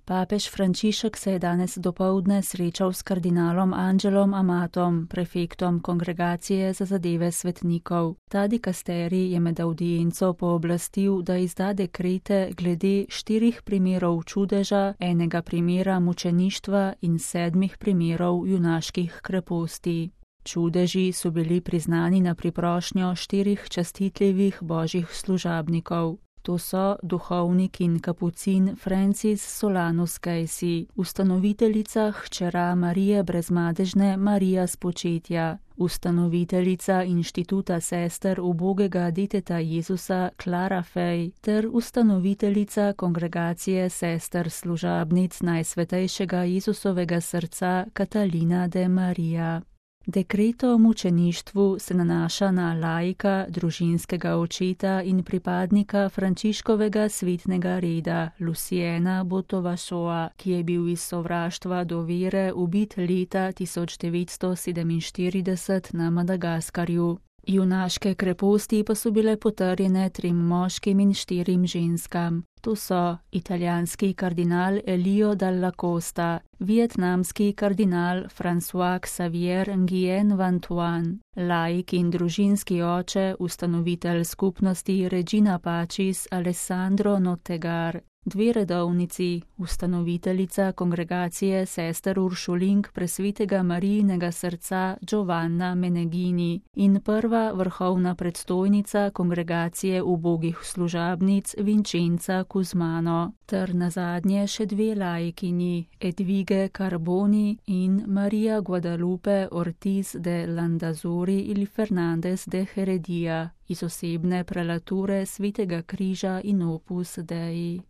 Papež Frančišek se je danes dopoldne srečal s kardinalom Angelom Amatom, prefektom Kongregacije za zadeve svetnikov. Ta dikasterij je med avdienco pooblastil, da izda dekrete glede 4 primerov čudeža, 1 primera mučeništva in 7 primerov junaških kreposti. Čudeži so bili priznani na priprošnjo 4 častitljivih božjih služabnikov. To so duhovnik in kapucin Francis Solanus Casey, ustanoviteljica hčera Marije Brezmadežne Marija Spočetja, ustanoviteljica inštituta sester ubogega deteta Jezusa Clara Fey ter ustanoviteljica kongregacije sester služabnic Najsvetejšega Jezusovega srca Katalina de Maria. Dekret o mučeništvu se nanaša na laika, družinskega očeta in pripadnika Frančiškovega svetnega reda Luciena Botovašoa, ki je bil iz sovraštva do vere ubit leta 1947 na Madagaskarju. Junaške kreposti pa so bile potrjene 3 moškim in 4 ženskam. To so italijanski kardinal Elio Dalla Costa, vietnamski kardinal François Xavier Nguyen Van Thuan, laik in družinski oče, ustanovitelj skupnosti Regina Pacis Alessandro Nottegar, 2 redovnici, ustanoviteljica kongregacije sester Uršulink Presvetega Marijinega srca Giovanna Menegini in prva vrhovna predstojnica kongregacije ubogih služabnic Vincenza Kuzmano, ter nazadnje še 2 laikini, Edvige Carboni in Maria Guadalupe Ortiz de Landazuri il Fernandez de Heredia iz osebne prelature Svetega križa in Opus Dei.